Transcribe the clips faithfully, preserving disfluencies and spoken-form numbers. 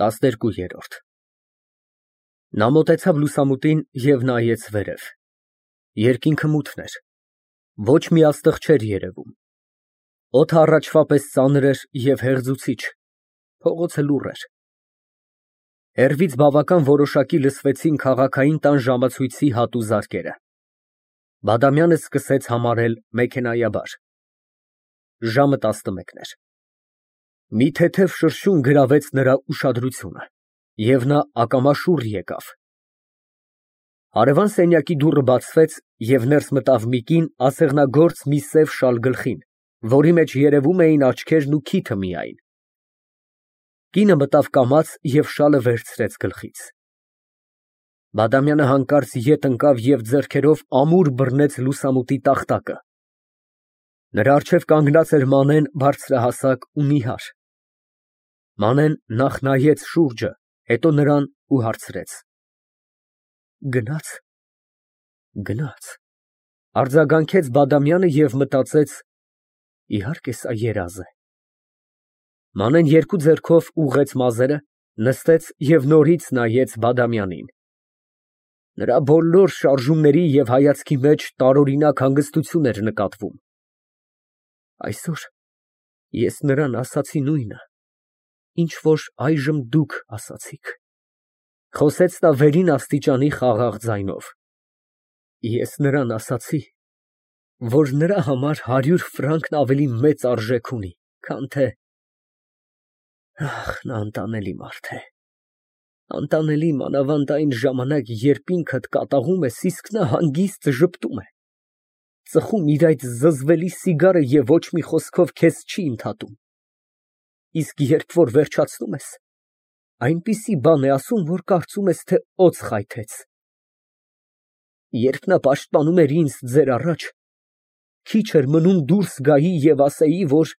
տասներկուերորդ Նա մոտեցավ լուսամուտին և նայեց վերև. երկինքը մութն էր, ոչ մի աստղ չէր երևում, օդը առաջվա պես ծանր էր և հեղձուցիչ, փողոցը լուռ էր։ Հեռվից բավական որոշակի լսվեցին քաղաքային տան ժամացույցի հատու զարկերը։ Բադամյանը սկսեց համարել մեքենայաբար։ Ժամը տասնմեկն էր։ Մի թեթև շրշյուն գրավեց նրա ուշադրությունը, և նա ակամա շուռ եկավ։ Հարևան սենյակի դուռը բացվեց, և ներս մտավ մի կին ասեղնագործ մի սև շալ գլխին, որի մեջ երևում էին աչքերն ու քիթը միայն։ Կինը մտավ կամաց և շալը վերցրեց գլխից։ Բադամյանը հանկարծ ետ ընկավ և ձեռքերով ամուր բռնեց լուսամուտի տախտակը։ Նրա առջև կանգնած էր Մանեն բարձրահասակ ու նիհար։ Մանեն նախ նայեց շուրջը, հետո նրան ու հարցրեց. Գնա՞ց։ Գնաց, արձագանքեց Բադամյանը և մտածեց. իհարկե սա երազ է։ Մանեն երկու ձեռքով ուղղեց մազերը, նստեց և նորից նայեց Բադամյանին։ Նրա բոլոր շարժումների և հայացքի մեջ տարօրինակ հանգստություն էր նկատվում։ Այսօր ես նրան ասացի նույնը, ինչ որ այժմ դուք ասացիք, խոսեց նա վերին աստիճանի խաղաղ ձայնով։ Ես նրան ասացի, որ նրա համար հարյուր ֆրանկն ավելի մեծ արժեք ունի, քան թե… Ահ, նա անտանելի մարդ է, անտանելի մանավանդ այն ժամանակ, երբ ինքդ կատաղում ես, իսկ նա հանգիստ ժպտում է, ծխում իր այդ զզվելի սիգարը և ոչ մի խոսքով քեզ չի ընդհատում, իսկ երբ որ վերջացնում ես, այնպիսի բան է ասում, որ կարծում ես, թե օձ խայթեց։ Երբ նա պաշտպանում էր ինձ ձեր առաջ, քիչ էր մնում դուրս գայի և ասեի, որ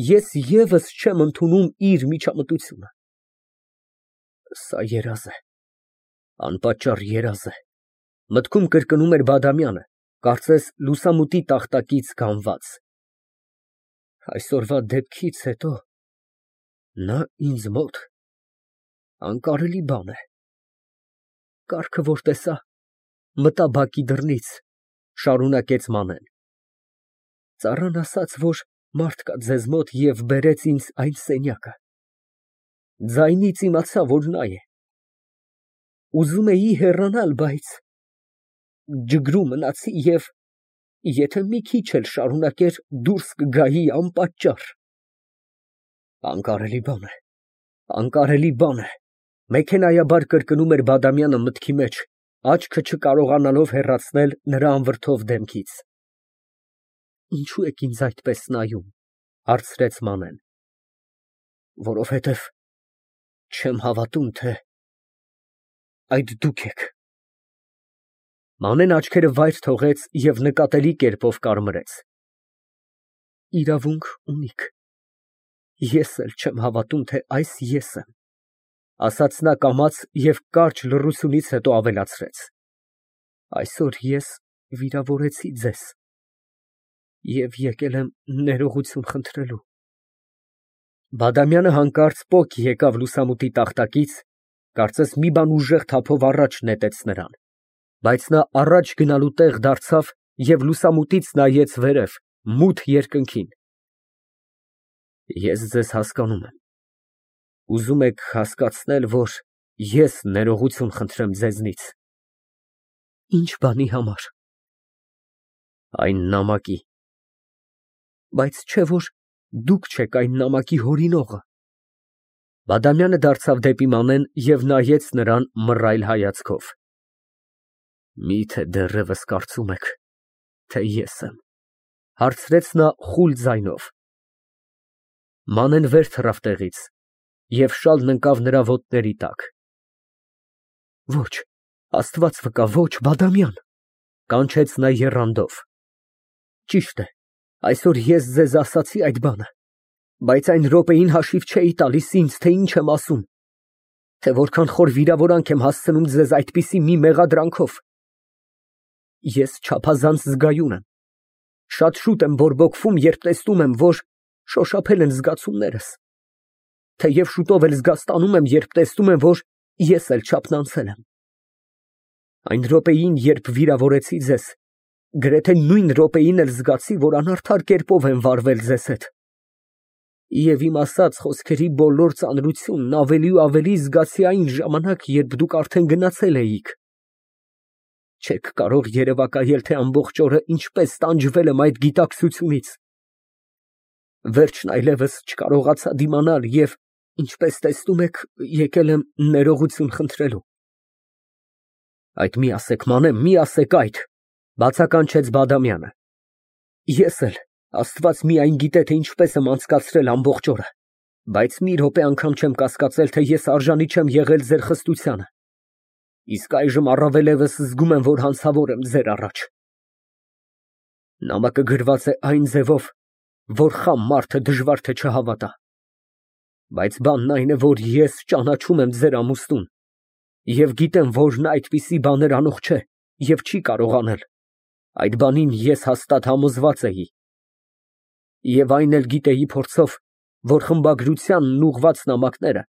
ես ևս չեմ ընդունում իր միջամտությունը։ Սա երազ է, անպատճառ երազ է, մտքում կրկնում էր Բադամյանը, կարծես լուսամուտի տախտակից գանված։ Այսօրվա դեպքից հետո նա ինձ մոտ անկարելի բան է։ Կառքը, որ տեսա, մտա բակի դռնից, շարունակեց Մանեն, ծառան ասաց, որ մարդ կա ձեզ մոտ և բերեց ինձ այն սենյակը, ձայնից իմացա, որ նա է։ Ուզում էի հեռանալ, բայց ջգրու մնացի և եթե մի քիչ էլ շարունակեր, դուրս կգայի անպատճառ։ Անկարելի բան է, անկարելի բան է, մեքենայաբար կրկնում էր Բադամյանը մտքի մեջ, աչքը չկարողանալով հեռացնել նրա անվրդով դեմքից։ Ինչո՞ւ եք ինձ այդպես նայում, հարցրեց Մանեն։ Որովհետև չեմ հավատում, թե այդ դուք եք։ Մանեն աչքերը վայր թողեց և նկատելի կերպով կարմրեց։ Իրավունք ունիք, ես էլ չեմ հավատում, թե այս ես եմ, ասաց նա կամաց և կարճ լռությունից հետո ավելացրեց. Այսօր ես վիրավորեցի ձեզ և եկել եմ ներողություն խնդրելու։ Բադամյանը հանկարծ պոկ եկավ լուսամուտի տախտակից, կարծես մի բան ուժեղ թափով առաջ նետեց նրան, բայց նա առաջ գնալու տեղ դարձավ և լուսամուտից նայեց վերև, մութ երկնքին։ Ես ձեզ հասկանում եմ, ուզում եք հասկացնել, որ ես ներողություն խնդրեմ ձեզնից։ Ի՞նչ բանի համար։ Այն նամակի։ Բայց չէ՞ որ դուք չեք այն նամակի հորինողը։ Բադամյանը դարձավ դեպի Մանեն և նայեց նրան մռայլ հայացքով։ Մի՞թե դեռևս կարծում եք, թե ես եմ, հարցրեց նա խուլ ձայնով։ Մանեն վեր թռավ տեղից և շալն ընկավ նրա ոտների տակ։ Ոչ, Աստված վկա, ոչ, Բադամյան, կանչեց նա եռանդով։ Ճիշտ է, այսօր ես ձեզ ասացի այդ բանը, բայց այն րոպեին հաշիվ չէի տալիս ինձ, թե ինչ եմ ասում, թե որքան խոր վիրավորանք եմ հասցնում ձեզ այդպիսի մի մեղադրանքով։ Ես չափազանց զգայուն եմ, շատ շուտ եմ բորբոքվում, երբ տեսնում եմ, որ շոշափել են զգացումներս։ թեև շուտով էլ զգաստանում եմ, երբ տեսնում եմ, որ ես էլ չափն անցել եմ։ Այն րոպեին, երբ վիրավորեցի ձեզ, գրեթե նույն րոպեին էլ զգացի, որ անարդար կերպով եմ վարվել ձեզ հետ։ Եվ իմ ասած խոսքերի բոլոր ծանրությունն ավելի ու ավելի զգացի այն ժամանակ, երբ դուք արդեն գնացել էիք։ Չեք կարող երևակայել, թե ամբողջ օրը ինչպես տանջվել եմ այդ գիտակցությունից։ Վերջն այլևս չկարողացա դիմանալ և, ինչպես տեսնում եք, եկել եմ ներողություն խնդրելու։ Այդ մի ասեք, Մանե, մի ասեք այդ, բացականչեց Բադամյանը։ Ես էլ, Աստված միայն գիտե, թե ինչպես եմ անցկացրել ամբողջ օրը, բայց մի րոպե անգամ չեմ կասկածել, թե ես արժանի չեմ եղել ձեր խստությանը։ Իսկ այժմ առավելևս զգում եմ, որ հանցավոր եմ ձեր առաջ։ Նամակը գրված է այն ձևով, որ խամ մարդը դժվար թե չհավատա։ Բայց բանն այն է, որ ես ճանաչում եմ ձեր ամուսնուն և գիտեմ, որ նա այդպիսի բաներ անող չէ և չի կարող անել։ Այդ բանին ես հաստատ համոզված էի։ Եվ այն էլ գիտեի փորձով, որ խմբագրությանն ուղղված նամակները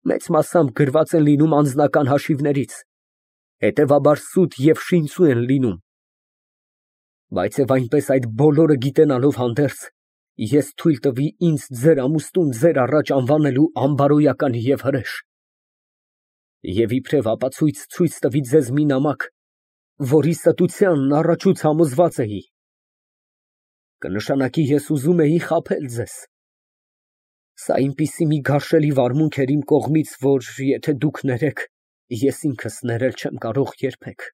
մեծ մասամբ գրված են լինում անձնական հաշիվներից, հետևաբար սուտ և շինծու են լինում։ Բայց և այնպես այդ բոլորը գիտենալով հանդերձ, ես թույլ տվի ինձ ձեր ամուսնուն ձեր առաջ անվանելու անբարոյական և հրեշ։ Եվ իբրև ապացույց ցույց տվի ձեզ մի նամակ, որի ստությանն առաջուց համոզված էի։ Կնշանակի ես ուզում էի խաբել ձեզ։ Սա այնպիսի մի գարշելի վարմունք էր իմ կողմից, որ եթե դուք ներեք, ես ինքս ներել չեմ կարող երբեք։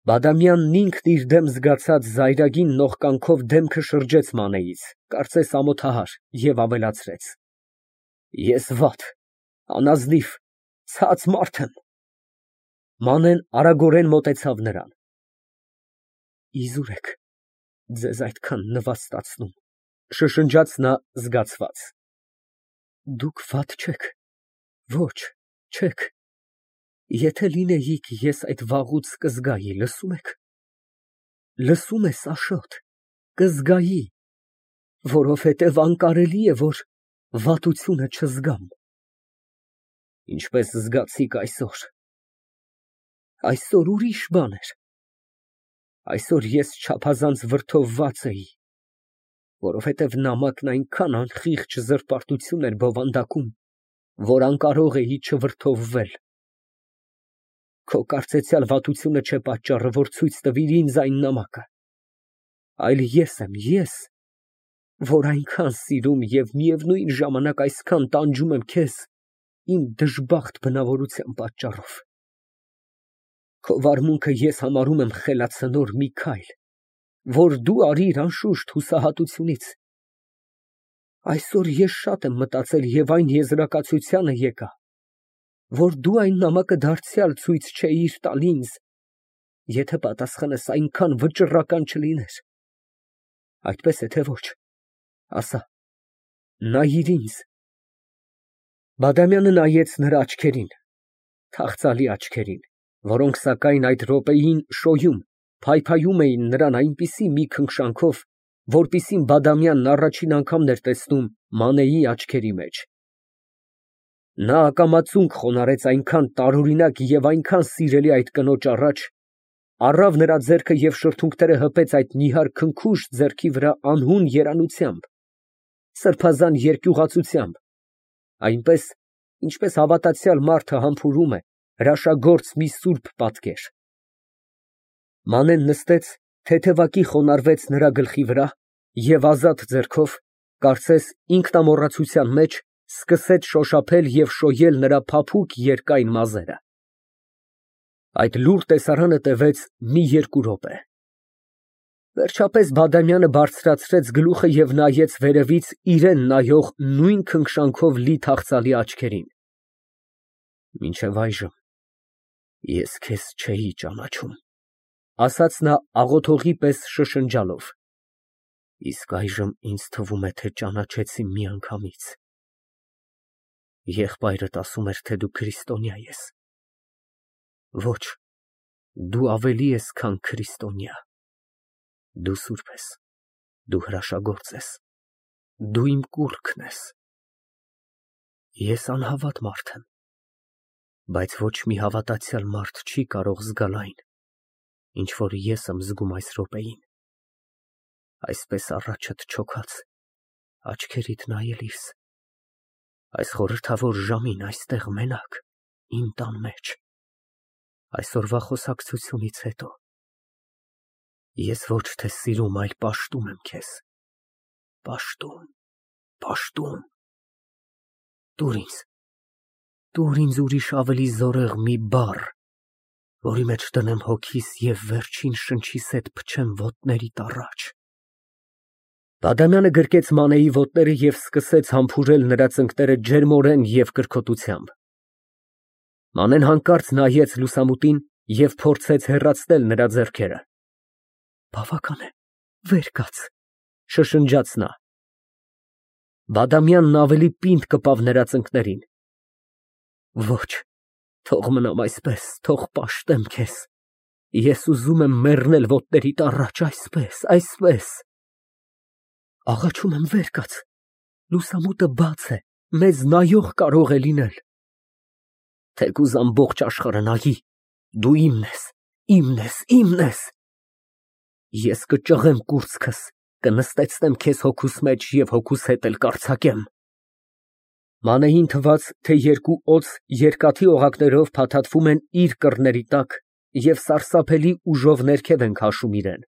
Բադամյանն ինքն իր դեմ զգացած զայրագին նողկանքով դեմքը շրջեց Մանեից, կարծես ամոթահար, և ավելացրեց. Ես վատ, անազնիվ, ցած մարդ եմ։ Մանեն արագորեն մոտեցավ նրան։ Իզուր եք, ձեզ այդքան նվաստացնում, շշնջաց նա զգացված։ Դուք վատ չեք, ոչ, չեք։ Եթե լինեիք, ես այդ վաղուց կզգայի, լսում եք։ Լսում ես, Աշոտ, կզգայի, որովհետև անկարելի է, որ վատությունը չզգամ։ Ինչպես զգացիք այսօր։ Այսօր ուրիշ բան էր։ Այսօր ես չափազանց վրդովված էի, որովհետև նամակն այնքան անխիղճ զրպարտություն էր բովանդակում, որ անկարող էի չվրդովվել։ Քո կարծեցյալ վատությունը չէ պատճառը, որ ցույց տվիր ինձ այն նամակը, այլ ես եմ, ես, որ այնքան սիրում և միևնույն ժամանակ այսքան տանջում եմ քեզ իմ դժբախտ բնավորության պատճառով։ Քո վարմունքը ես համարում եմ խելացնոր մի քայլ, որ դու արիր անշուշտ հուսահատությունից։ Այսօր ես շատ եմ մտածել և այն եզրակացությանը եկա, որ դու այն նամակը դարձյալ ցույց չէիր տալ ինձ, եթե պատասխանս այնքան վճռական չլիներ։ Այդպես է, թե ոչ, ասա, նայիր ինձ։ Բադամյանը նայեց նրա աչքերին, թախծալի աչքերին, որոնք սակայն այդ րոպեին շոյում, փայփայում էին նրան այնպիսի մի քնքշանքով, որպիսին Բադամյանն առաջին անգամն էր տեսնում Մանեի աչքերի մեջ։ Նա ակամա ծունկ խոնարհեց այնքան տարօրինակ և այնքան սիրելի այդ կնոջ առաջ, առավ նրա ձեռքը և շրթունքները հպեց այդ նիհար քնքուշ ձեռքի վրա անհուն երանությամբ, սրբազան երկյուղածությամբ, այնպես, ինչպես հավատացյալ մարդը համբուրում է հրաշագործ մի սուրբ պատկեր։ Մանեն նստեց, թեթևակի խոնարհվեց նրա գլխի վրա և ազատ ձեռքով, կարծես ինքնամոռացության մեջ, սկսեց շոշափել և շոյել նրա փափուկ երկայն մազերը։ Այդ լուռ տեսարանը տևեց մի երկու րոպե։ Վերջապես Բադամյանը բարձրացրեց գլուխը և նայեց վերևից իրան նայող նույն քնքշանքով լի թախծալի աչքերին։ Մինչև այժմ ես քեզ չէի ճանաչում, ասաց նա աղոթողի պես շշնջալով, իսկ այժմ ինձ թվում է, թե ճանաչեցի միանգամից։ Եղբայրդ ասում էր, թե դու քրիստոնյա ես։ Ոչ, դու ավելի ես, քան քրիստոնյա։ Դու սուրբ ես, դու հրաշագործ ես, դու իմ կուռքն ես։ Ես անհավատ մարդ եմ, բայց ոչ մի հավատացյալ մարդ չի կարող զգալ այն, ինչ որ ես եմ զգում այս րոպեին, այսպես առաջդ չոքած, աչքերիդ նայելիս, այս խորհրդավոր ժամին այստեղ մենակ, իմ տան մեջ, այսօրվա խոսակցությունից հետո, ես ոչ թե սիրում, այլ պաշտում եմ քեզ, պաշտում, պաշտում, տուր ինձ, տուր ինձ ուրիշ ավելի զորեղ մի բառ, որի մեջ դնեմ հոգիս և վերջին շնչիս հետ փչեմ ոտներիդ առաջ։ Բադամյանը գրկեց Մանեի ոտները և սկսեց համբուրել նրա ծնկները ջերմորեն և կրքոտությամբ։ Մանեն հանկարծ նայեց լուսամուտին և փորձեց հեռացնել նրա ձեռքերը։ Բավական է, վեր կաց, շշնջաց նա։ Բադամյանն ավելի պինդ կպավ նրա ծնկներին։ Ոչ, թող մնամ այսպես, թող պաշտեմ քեզ, ես ուզում եմ մեռնել ոտներիդ առաջ, այսպես, այսպես։ Աղաչում եմ, վեր կաց, լուսամուտը բաց է, մեզ նայող կարող է լինել։ Թեկուզ ամբողջ աշխարհը նայի, դու իմն ես, իմն ես, իմն ես։ Ես կճղեմ կուրծքս, կնստեցնեմ քեզ հոգուս մեջ և հոգուս հետ էլ կարձակեմ։ Մանեին թվաց, թե երկու օձ երկաթի օղակներով փաթաթվում են իր կռների տակ և սարսափելի ուժով ներքև են քաշում իրան։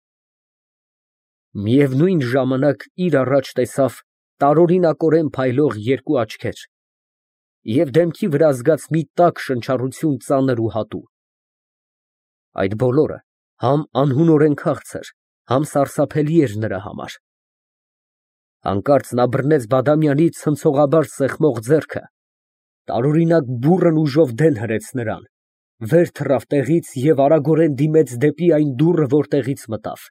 Միևնույն ժամանակ իր առաջ տեսավ տարօրինակորեն փայլող երկու աչքեր և դեմքի վրա զգաց մի տաք շնչառություն ծանր ու հատու։ Այդ բոլորը համ անհունորեն քաղցր, համ սարսափելի էր նրա համար։ Հանկարծ նա բռնեց Բադամյանից ցնցողաբար սեղմող ձեռքը, տարօրինակ բուռն ուժով դեն հրեց նրան, վեր թռավ տեղից և արագորեն դիմեց դեպի այն դուռը, որտեղից մտավ։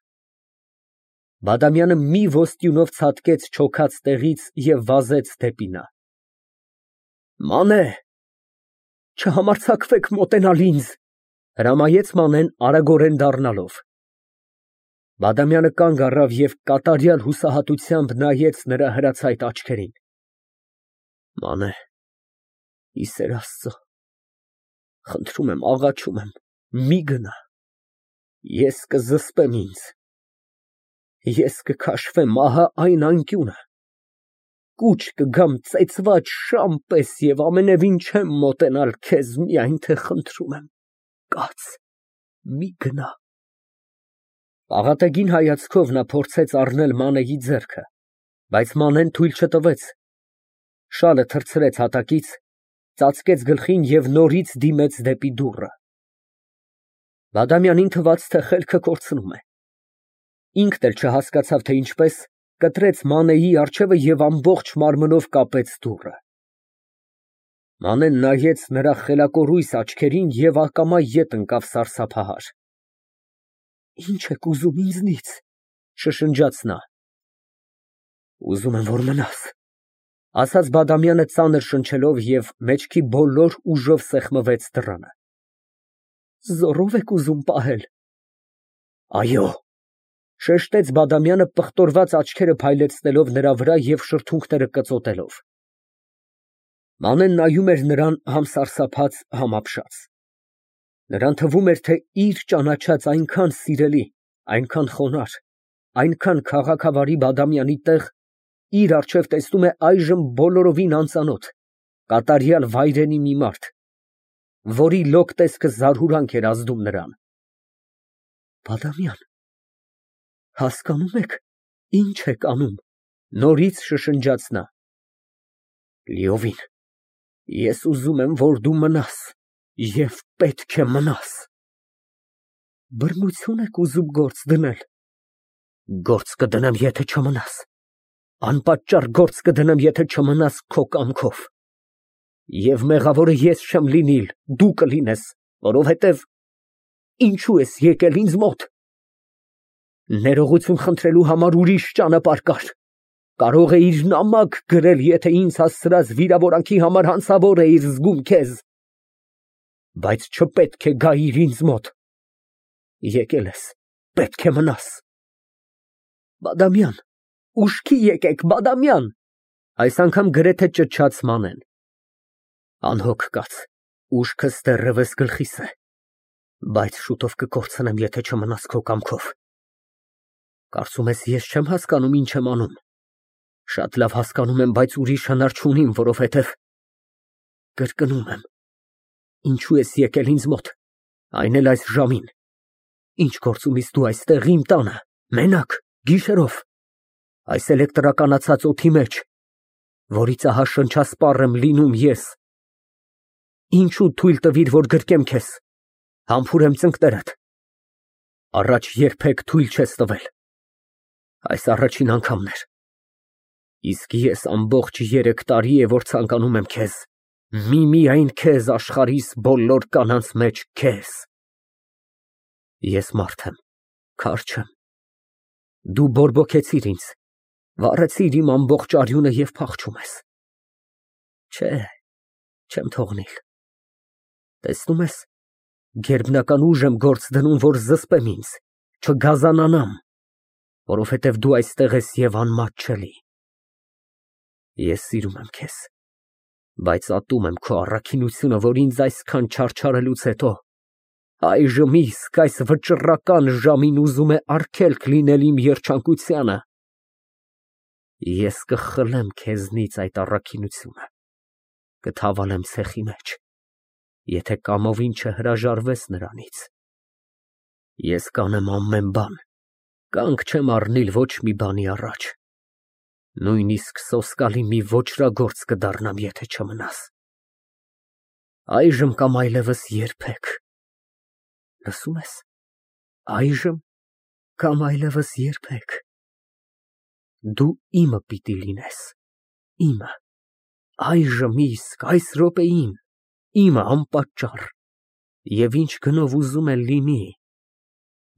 Բադամյանը մի ոսტյունով ցատկեց չոքած տեղից և վազեց դեպի նա։ Մանե, չհամարձակվեք մոտենալ ինձ, հրամայեց Մանեն արագորեն դառնալով։ Բադամյանը կանգ առավ և կատարյալ հուսահատությամբ նայեց նրա հրացայտ աչքերին։ Մանե, ի սեր Աստծո, խնդրում եմ, աղաչում եմ, մի գնա, ես կզսպեմ ինձ, ես կքաշվեմ, ահա այն անկյունը, կուչ կգամ ծեծված շան պես և ամենևին չեմ մոտենալ քեզ, միայն թե խնդրում եմ, կաց, մի գնա։ Աղատեգին հայացքով նա փորձեց առնել Մանեի ձեռքը, բայց Մանեն թույլ չտվեց, շալը թռցրեց հատակից, ծածկեց գլխին և նորից դիմեց դեպի դուռը։ Բադամյանին թվաց, թե խելքը կորցնում է։ Ինքն էլ չհասկացավ, թե ինչպես, կտրեց Մանեի առջևը և ամբողջ մարմնով կապեց դուռը։ Մանեն նայեց նրա խելակորույս աչքերին և ակամա ետ ընկավ սարսափահար։ Ի՞նչ եք ուզում ինձնից, շշնջաց նա։ Ուզում եմ, որ մնաս, ասաց Բադամյանը ծանր շնչելով և մեջքի բոլոր ուժով սեղմվեց դռանը։ Զոռո՞վ եք ուզում պահել։ Այո, շեշտեց Բադամյանը պղտորված աչքերը փայլեցնելով նրա վրա և շրթունքները կծոտելով։ Մանեն նայում էր նրան համ սարսափած, համ ապշած։ Նրան թվում էր, թե իր ճանաչած այնքան սիրելի, այնքան խոնարհ, այնքան քաղաքավարի Բադամյանի տեղ իր առջև տեսնում է այժմ բոլորովին անծանոթ, կատարյալ վայրենի մի մարդ, որի լոկ տեսքը զարհուրանք էր ազդում նրան։ Բադամյան, հասկանում եք, ինչ եք անում, նորից շշնջաց նա։ Լիովին, ես ուզում եմ, որ դու մնաս և պետք է մնաս։ Բռնություն եք ուզում գործ դնել։ Գործ կդնեմ, եթե չմնաս, անպատճառ գործ կդնեմ, եթե չմնաս քո կամքով։ Եվ մեղավորը ես չեմ լինիլ, դու կլինես, որովհետև ինչո՞ւ ես եկել ինձ մոտ։ Ներողություն խնդրելու համար ուրիշ ճանապարհ կար, կարող էիր նամակ գրել, եթե ինձ հասցրած վիրավորանքի համար հանցավոր էիր զգում քեզ, բայց չպետք է գայիր ինձ մոտ։ Եկել ես, պետք է մնաս։ Բադամյան, ուշքի եկեք, Բադամյան, այս անգամ գրեթե ճչաց Մանեն։ Անհոգ կաց, ուշքս դեռևս գլխիս է, բայց շուտով կկորցնեմ, եթե չմնաս քո կամքով։ Կարծում ես ես չեմ հասկանում ինչ եմ անում։ Շատ լավ հասկանում եմ, բայց ուրիշ հնար չունիմ, որովհետև կրկնում եմ, ինչու ես եկել ինձ մոտ, այն էլ այս ժամին։ Ինչ գործ ունիս դու այստեղ իմ տանը, մենակ, գիշերով, այս էլեկտրականացած օդի մեջ, որից ահա շնչասպառ եմ լինում ես։ Ինչու թույլ տվիր, որ գրկեմ քեզ, համբուրեմ ծնկներդ։ Առաջ երբեք թույլ չես տվել։ Այս առաջին անգամն էր։ Իսկ ես ամբողջ երեք տարի է, որ ցանկանում եմ քեզ, միմիայն քեզ, աշխարհիս բոլոր կանանց մեջ քեզ։ Ես մարդ եմ, քար չեմ։ Դու բորբոքեցիր ինձ, վառեցիր իմ ամբողջ արյունը և փախչում ես։ Չէ, չեմ թողնիլ։ Տեսնում ես, գերբնական ուժ եմ գործ դնում, որ զսպեմ ինձ, չգազանանամ, որովհետև դու այստեղ ես և անմատ չելի։ Ես սիրում եմ քեզ, բայց ատում եմ քո առաքինությունը, որ ինձ այսքան չարչարելուց հետո այժմ իսկ այս վճռական ժամին ուզում է արգելք լինել իմ երջանկությանը։ Ես կխլեմ քեզնից այդ առաքինությունը, կթավալեմ ցեխի մեջ, եթե կամովին չհրաժարվես նրանից։ Ես կանեմ ամեն բան, կանգ չեմ առնիլ ոչ մի բանի առաջ, նույնիսկ սոսկալի մի ոճրագործ կդառնամ, եթե չմնաս։ Այժմ կամ այլևս երբեք։ Լսում ես, այժմ կամ այլևս երբեք։ Դու իմը պիտի լինես, իմը, այժմ իսկ, այս րոպեին, իմը անպատճառ, և ինչ գնով ուզում է լինի,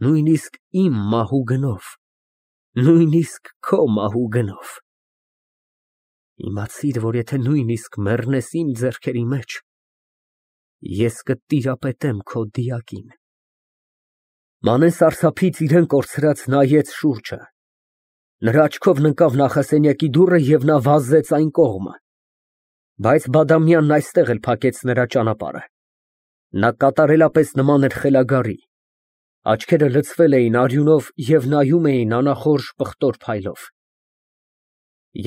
նույնիսկ իմ մահու գնով, նույնիսկ քո մահու գնով։ Իմացիր, որ եթե նույնիսկ մեռնես իմ ձեռքերի մեջ, ես կտիրապետեմ քո դիակին։ Մանեն սարսափից իրան կորցրած նայեց շուրջը, նրա աչքով ընկավ նախասենյակի դուռը և նա վազեց այն կողմը, բայց Բադամյանն այստեղ էլ փակեց նրա ճանապարհը։ Նա կատարելապես նման էր խելագարի, աչքերը լցվել էին արյունով և նայում էին անախորժ պղտոր փայլով։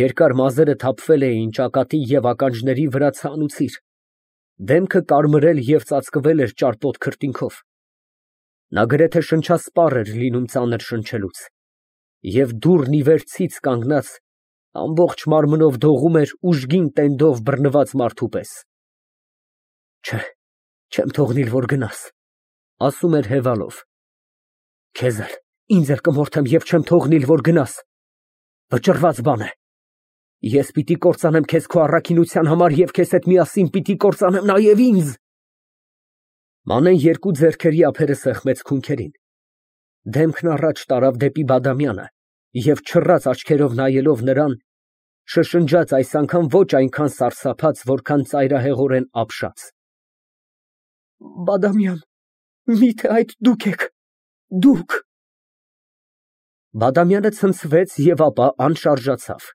Երկար մազերը թափվել էին ճակատի և ականջների վրա ցանուցիր, դեմքը կարմրել և ծածկվել էր ճարպոտ քրտինքով։ Նա գրեթե շնչասպառ էր լինում ծանր շնչելուց, և դուռն ի վեր ցից կանգնած, ամբողջ մարմնով դողում էր ուժգին տենդով բռնված մարդու պես։ Չէ, չեմ թողնիլ, որ գնաս, ասում էր հևալով։ Քեզ էլ, ինձ էլ կմորթեմ և չեմ թողնիլ, որ գնաս։ Վճռված բան է։ Ես պիտի կործանեմ քեզ քո առաքինության համար և քեզ հետ միասին պիտի կործանեմ նաև ինձ։ Մանեն երկու ձեռքերի ափերը սեղմեց քունքերին, դեմքն առաջ տարավ դեպի Բադամյանը և չռած աչքերով նայելով նրան, շշնջաց այս անգամ ոչ այնքան սարսափած, որքան ծայրահեղորեն ապշած. Բադամյան, միթե այդ դուք եք, դուք։ Բադամյանը ցնցվեց և ապա անշարժացավ։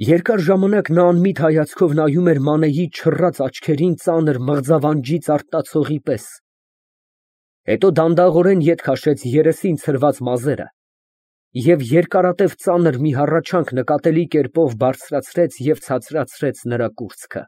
Երկար ժամանակ նա անմիտ հայացքով նայում էր Մանեի չռած աչքերին ծանր մղձավանջից արթնացողի պես, հետո դանդաղորեն ետ քաշեց երեսին ցրված մազերը և երկարատև ծանր մի հառաչանք նկատելի կերպով բարձրացրեց և ցածրացրեց նրա կուրծքը։